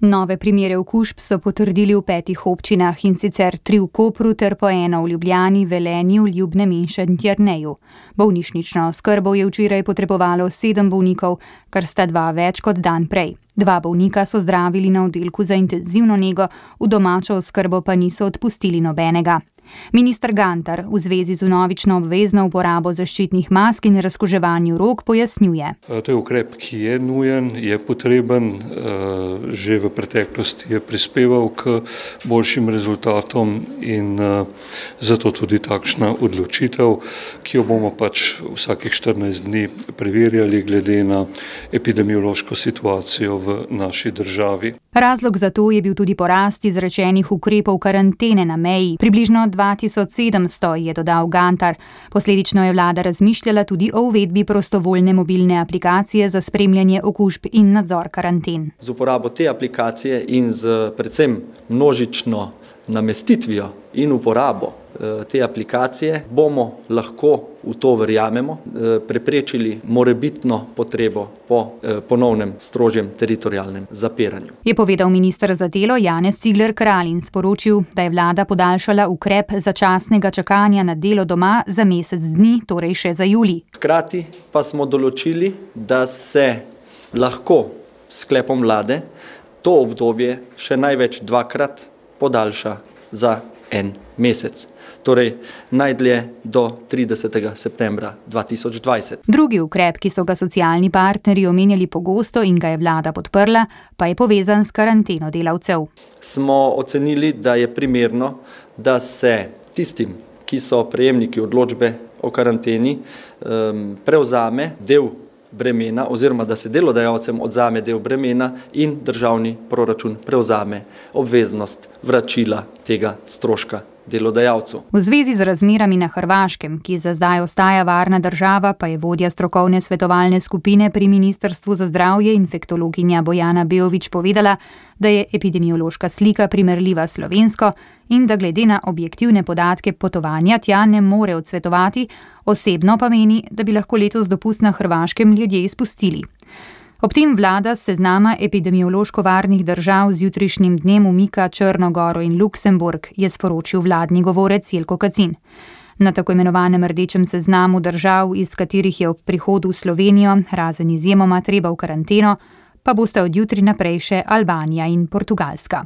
Nove primere okužb so potrdili v 5 občinah, in sicer 3 v Kopru ter po 1 v Ljubljani, Velenju, Ljubnem in Šentjerneju. Bolnišnično oskrbo je včeraj potrebovalo 7 bolnikov, kar sta 2 več kot dan prej. 2 bolnika so zdravili na oddelku za intenzivno nego, v domačo oskrbo pa niso odpustili nobenega. Minister Gantar v zvezi z vnovično obvezno uporabo zaščitnih mask in razkuževanju rok pojasnjuje. To je ukrep, ki je nujen, je potreben, že v preteklosti je prispeval k boljšim rezultatom in zato tudi takšna odločitev, ki jo bomo pač vsakih 14 dni preverjali glede na epidemiološko situacijo v naši državi. Razlog za to je bil tudi porast izrečenih ukrepov karantene na meji. Približno 2700, je dodal Gantar. Posledično je vlada razmišljala tudi o uvedbi prostovoljne mobilne aplikacije za spremljanje okužb in nadzor karanten. Z uporabo te aplikacije in z predvsem množično namestitvijo in uporabo te aplikacije bomo lahko, v to verjamemo, preprečili morebitno potrebo po ponovnem strožjem teritorialnem zapiranju. Je povedal minister za delo Janez Cigler Kralj in sporočil, da je vlada podaljšala ukrep začasnega čakanja na delo doma za mesec dni, torej še za julij. Hkrati pa smo določili, da se lahko s sklepom vlade to obdobje še največ 2-krat podaljša za 1 mesec. Torej najdlje do 30. septembra 2020. Drugi ukrep, ki so ga socialni partnerji omenjali pogosto in ga je vlada podprla, pa je povezan s karanteno delavcev. Smo ocenili, da je primerno, da se tistim, ki so prejemniki odločbe o karanteni, prevzame del bremena oziroma da se delodajalcem odzame del bremena in državni proračun prevzame obveznost vračila tega stroška delodajalcu. V zvezi z razmerami na Hrvaškem, ki za zdaj ostaja varna država, pa je vodja strokovne svetovalne skupine pri Ministrstvu za zdravje infektologinja Bojana Beović povedala, da je epidemiološka slika primerljiva s slovensko in da glede na objektivne podatke potovanja tja ne more odsvetovati, osebno pa meni, da bi lahko letos dopust na Hrvaškem ljudje izpustili. Ob tem vlada s seznama epidemiološko varnih držav z jutrišnjim dnem umika Črno Goro in Luksemburg, je sporočil vladni govorec Jelko Kacin. Na tako imenovanem rdečem seznamu držav, iz katerih je ob prihodu v Slovenijo, razen izjemoma treba v karanteno, pa bosta od jutri naprej še Albanija in Portugalska.